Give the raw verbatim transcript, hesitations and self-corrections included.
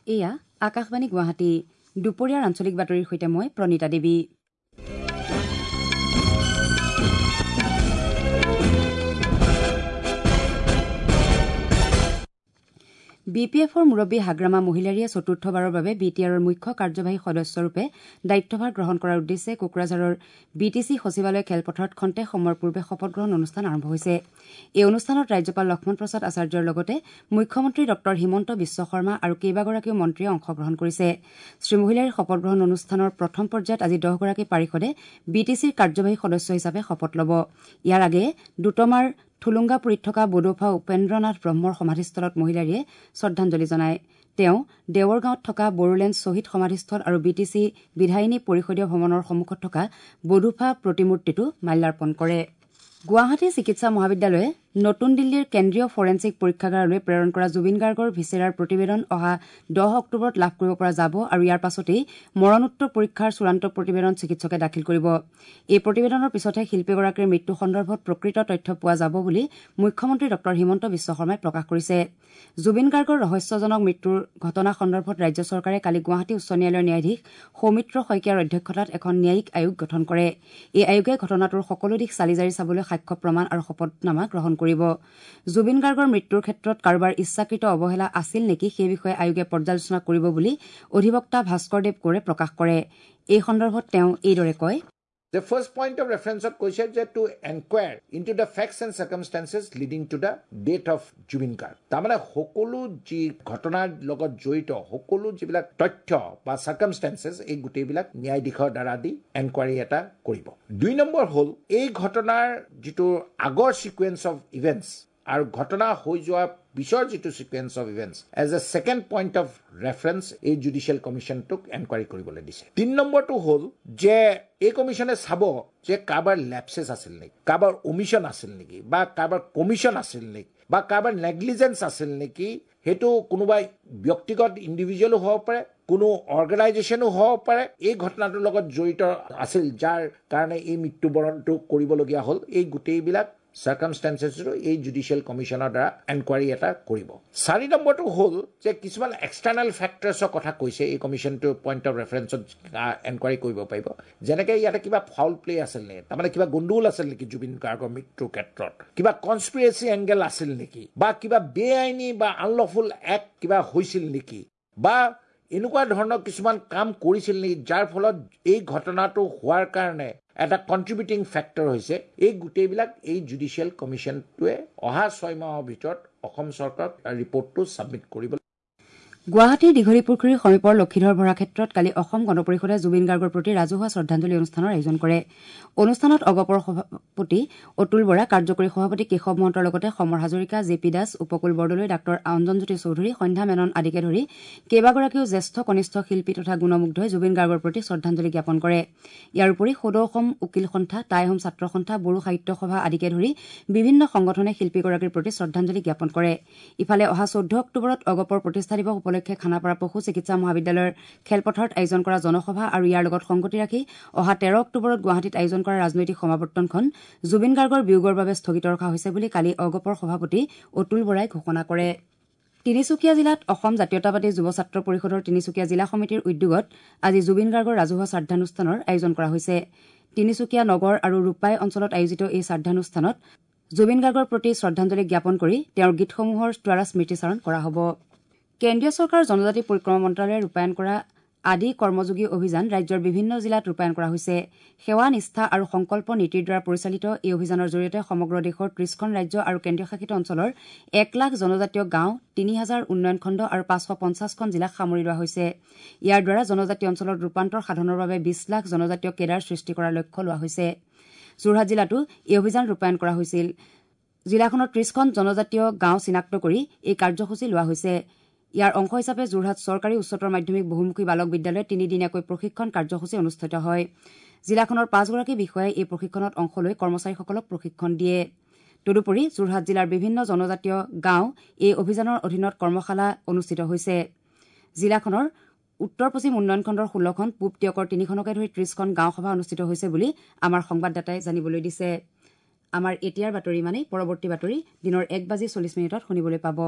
এয়া আকাশবাণী গুৱাহাটী। দুপৰীয়াৰ আঞ্চলিক বাতৰিৰ সৈতে মই প্ৰণীতা দেৱী। বি পি এফৰ মুৰব্বী হাগ্ৰামা মহিলাৰীয়ে চতুৰ্থবাৰৰ বাবে বি টি আৰৰ মুখ্য কাৰ্যবাহী সদস্যৰূপে দায়িত্বভাৰ গ্ৰহণ কৰাৰ উদ্দেশ্যে কোকৰাঝাৰৰ বি টি চি সচিবালয় খেলপথাৰত খন্তেক সময়ৰ পূৰ্বে শপতগ্ৰহণ অনুষ্ঠান আৰম্ভ হৈছে। এই অনুষ্ঠানত ৰাজ্যপাল লক্ষ্মণ প্ৰসাদ আচাৰ্যৰ লগতে মুখ্যমন্ত্ৰী ডঃ হিমন্ত বিশ্ব শৰ্মা আৰু কেইবাগৰাকীও মন্ত্ৰীয়ে অংশগ্ৰহণ কৰিছে। শ্ৰীমহিলাৰীৰ শপতগ্ৰহণ অনুষ্ঠানৰ প্ৰথম পৰ্যায়ত আজি দহগৰাকী পাৰিষদে বি টি চিৰ কাৰ্যবাহী সদস্য হিচাপে শপত ল'ব। ইয়াৰ আগেয়ে দোতমাৰ থুলুংগাপুৰীত থকা বডোফা উপেন্দ্ৰনাথ ব্ৰহ্মৰ সমাধিস্থলত মহিলাৰীয়ে শ্ৰদ্ধাঞ্জলি জনায়। তেওঁ দেৱৰগাঁৱত থকা বড়োলেণ্ড শ্বহীদ সমাধিস্থল আৰু বি টি চি বিধায়িনী পৰিষদীয় ভৱনৰ সন্মুখত থকা বডোফা প্ৰতিমূৰ্তিতো মাল্যাৰ্পণ কৰে। গুৱাহাটী চিকিৎসা মহাবিদ্যালয়ে নতুন দিল্লীৰ কেন্দ্ৰীয় ফৰেনছিক পৰীক্ষাগাৰলৈ প্ৰেৰণ কৰা জুবিন গাৰ্গৰ ভিছেৰাৰ প্ৰতিবেদন অহা দহ অক্টোবৰত লাভ কৰিব পৰা যাব আৰু ইয়াৰ পাছতেই মৰণোত্তৰ পৰীক্ষাৰ চূড়ান্ত প্ৰতিবেদন চিকিৎসকে দাখিল কৰিব। এই প্ৰতিবেদনৰ পিছতহে শিল্পীগৰাকীৰ মৃত্যু সন্দৰ্ভত প্ৰকৃত তথ্য পোৱা যাব বুলি মুখ্যমন্ত্ৰী ডঃ হিমন্ত বিশ্ব শৰ্মাই প্ৰকাশ কৰিছে। জুবিন গাৰ্গৰ ৰহস্যজনক মৃত্যুৰ ঘটনা সন্দৰ্ভত ৰাজ্য চৰকাৰে কালি গুৱাহাটী উচ্চ ন্যায়ালয়ৰ ন্যায়াধীশ সৌমিত্ৰ শইকীয়াৰ অধ্যক্ষতাত এখন ন্যায়িক আয়োগ গঠন কৰে। এই আয়োগে ঘটনাটোৰ সকলো দিশ চালি-জাৰি চাবলৈ সাক্ষ্য প্ৰমাণ আৰু শপতনামা গ্ৰহণ কৰিব। জুবিন গাৰ্গৰ মৃত্যুৰ ক্ষেত্ৰত কাৰোবাৰ ইচ্ছাকৃত অৱহেলা আছিল নেকি সেই বিষয়ে আয়োগে পৰ্যালোচনা কৰিব বুলি অধিবক্তা ভাস্কৰ দেৱ কোঁৱৰে প্ৰকাশ কৰে। এই সন্দৰ্ভত তেওঁ এইদৰে কয়, The first point of reference কৈছে যে to enquire into the facts and circumstances leading to the death of Zubeen Garg. তাৰমানে সকলো যি ঘটনাৰ লগত জড়িত সকলো যিবিলাক তথ্য বা circumstances এই গোটেইবিলাক ন্যায়াধীশৰ দ্বাৰা দি এনকুৱাৰী এটা কৰিব। দুই নম্বৰ হ'ল এই ঘটনাৰ যিটো আগৰ ছিকুৱেঞ্চ অফ ইভেণ্টছ আৰু ঘটনা হৈ যোৱাৰ পিছৰ যিটো sequence of events as a second point of reference এই জুডিচিয়েল কমিশ্যনটোক এনকুৱাৰী কৰিবলৈ দিছে। তিনি নম্বৰটো হ'ল যে এই কমিশ্যনে চাব যে কাৰোবাৰ লেপচেছ আছিল নেকি, কাৰোবাৰ ওমিশ্যন আছিল নেকি, বা কাৰোবাৰ কমিশ্যন আছিল নেকি, বা কাৰোবাৰ নেগলিজেঞ্চ আছিল নেকি। সেইটো কোনোবাই ব্যক্তিগত ইণ্ডিভিজুৱেলো হ'ব পাৰে, কোনো অৰ্গেনাইজেশ্যনো হ'ব পাৰে এই ঘটনাটোৰ লগত জড়িত আছিল যাৰ কাৰণে এই মৃত্যুবৰণটো কৰিবলগীয়া হ'ল। এই গোটেইবিলাক চাৰ্কামষ্টেঞ্চেছটো এই জুডিচিয়েল কমিশ্যনৰ দ্বাৰা এনকুৱাৰী এটা কৰিব। চাৰি নম্বৰটো হ'ল যে কিছুমান এক্সটাৰ্নেল ফেক্টৰ্ছৰ কথা কৈছে এই কমিশ্যনটোৰ পইণ্ট অফ ৰেফাৰেঞ্চত এনকুৱাৰী কৰিব পাৰিব। যেনেকৈ ইয়াতে কিবা ফাউল প্লে আছিল নেকি, তাৰমানে কিবা গণ্ডগোল আছিল নেকি জুবিন গাৰ্গৰ মৃত্যুৰ ক্ষেত্ৰত, কিবা কনস্পিৰেচি এংগেল আছিল নেকি, বা কিবা বেআইনী বা আনলফুল এক্ট কিবা হৈছিল নেকি, বা এনেকুৱা ধৰণৰ কিছুমান কাম কৰিছিল নেকি যাৰ ফলত এই ঘটনাটো হোৱাৰ কাৰণে এটা কণ্ট্ৰিবিউটিং ফেক্টৰ হৈছে। এই গোটেইবিলাক এই জুডিচিয়েল কমিশ্যনটোৱে অহা ছয় মাহৰ ভিতৰত অসম চৰকাৰক ৰিপৰ্টটো ছাবমিট কৰিব। গুৱাহাটীৰ দীঘলীপুখুৰীৰ সমীপৰ লক্ষীধৰ ভৰা ক্ষেত্ৰত কালি অসম গণ পৰিষদে জুবিন গাৰ্গৰ প্ৰতি ৰাজহুৱা শ্ৰদ্ধাঞ্জলি অনুষ্ঠানৰ আয়োজন কৰে। অনুষ্ঠানত অগপৰ সভাপতি অতুল বৰা, কাৰ্যকৰী সভাপতি কেশৱ মহন্তৰ লগতে সমৰ হাজৰিকা, জে পি দাস, উপকুল বৰদলৈ, ডাঃ অঞ্জনজ্যোতি চৌধুৰী, সন্ধ্যা মেনন আদিকে ধৰি কেইবাগৰাকীও জ্যেষ্ঠ কনিষ্ঠ শিল্পী তথা গুণমুগ্ধই জুবিন গাৰ্গৰ প্ৰতি শ্ৰদ্ধাঞ্জলি জ্ঞাপন কৰে। ইয়াৰ উপৰি সদৌ অসম উকীল সন্থা, টাই আহোম ছাত্ৰ সন্থা, বড়ো সাহিত্য সভা আদিকে ধৰি বিভিন্ন সংগঠনে শিল্পীগৰাকীৰ প্ৰতি শ্ৰদ্ধাঞ্জলি জ্ঞাপন কৰে। ইফালে অহা চৈধ্য অক্টোবৰত অগপৰ প্ৰতিষ্ঠা দিৱস উপলক্ষে খানাপাৰা পশু চিকিৎসা মহাবিদ্যালয়ৰ খেলপথাৰত আয়োজন কৰা জনসভা আৰু ইয়াৰ লগত সংগতি ৰাখি অহা তেৰ অক্টোবৰত গুৱাহাটীত আয়োজন কৰা ৰাজনৈতিক সমাৱৰ্তনখন জুবিন গাৰ্গৰ বিয়োগৰ বাবে স্থগিত ৰখা হৈছে বুলি কালি অগপৰ সভাপতি অতুল বৰাই ঘোষণা কৰে। তিনিচুকীয়া জিলাত অসম জাতীয়তাবাদী যুৱ ছাত্ৰ পৰিষদৰ তিনিচুকীয়া জিলা সমিতিৰ উদ্যোগত আজি জুবিন গাৰ্গৰ ৰাজহুৱা শ্ৰাদ্ধানুষ্ঠানৰ আয়োজন কৰা হৈছে। তিনিচুকীয়া নগৰ আৰু ৰূপাই অঞ্চলত আয়োজিত এই শ্ৰাদ্ধানুষ্ঠানত জুবিন গাৰ্গৰ প্ৰতি শ্ৰদ্ধাঞ্জলি জ্ঞাপন কৰি তেওঁৰ গীতসমূহৰ দ্বাৰা স্মৃতিচাৰণ কৰা হ'ব। কেন্দ্ৰীয় চৰকাৰৰ জনজাতি পৰিক্ৰমা মন্ত্ৰালয়ে ৰূপায়ণ কৰা আদি কৰ্মযোগী অভিযান ৰাজ্যৰ বিভিন্ন জিলাত ৰূপায়ণ কৰা হৈছে। সেৱা, নিষ্ঠা আৰু সংকল্প নীতিৰ দ্বাৰা পৰিচালিত এই অভিযানৰ জৰিয়তে সমগ্ৰ দেশৰ ত্ৰিশখন ৰাজ্য আৰু কেন্দ্ৰীয়শাসিত অঞ্চলৰ এক লাখ জনজাতীয় গাঁও, তিনি হাজাৰ উন্নয়ন খণ্ড আৰু পাঁচশ পঞ্চাছখন জিলাক সামৰি লোৱা হৈছে। ইয়াৰ দ্বাৰা জনজাতীয় অঞ্চলত ৰূপান্তৰ সাধনৰ বাবে বিশ লাখ জনজাতীয় কেডাৰ সৃষ্টি কৰাৰ লক্ষ্য লোৱা হৈছে। যোৰহাট জিলাতো এই অভিযান ৰূপায়ণ কৰা হৈছিল। জিলাখনৰ ত্ৰিশখন জনজাতীয় গাঁও চিনাক্ত কৰি এই কাৰ্যসূচী লোৱা হৈছে। ইয়াৰ অংশ হিচাপে যোৰহাট চৰকাৰী উচ্চতৰ মাধ্যমিক বহুমুখী বালক বিদ্যালয়ত তিনিদিনীয়াকৈ প্ৰশিক্ষণ কাৰ্যসূচী অনুষ্ঠিত হয়। জিলাখনৰ পাঁচগৰাকী বিষয়াই এই প্ৰশিক্ষণত অংশ লৈ কৰ্মচাৰীসকলক প্ৰশিক্ষণ দিয়ে। তদুপৰি যোৰহাট জিলাৰ বিভিন্ন জনজাতীয় গাঁও এই অভিযানৰ অধীনত কৰ্মশালা অনুষ্ঠিত হৈছে। জিলাখনৰ উত্তৰ পশ্চিম উন্নয়ন খণ্ডৰ ষোল্লখন, পূব টীয়কৰ তিনিখনকে ধৰি ত্ৰিশখন গাঁও সভা অনুষ্ঠিত হৈছে বুলি আমাৰ সংবাদদাতাই জানিবলৈ দিছে। আমাৰ এতিয়াৰ বাতৰি মানে পৰৱৰ্তী বাতৰি দিনৰ এক বাজি চল্লিছ মিনিটত শুনিবলৈ পাব।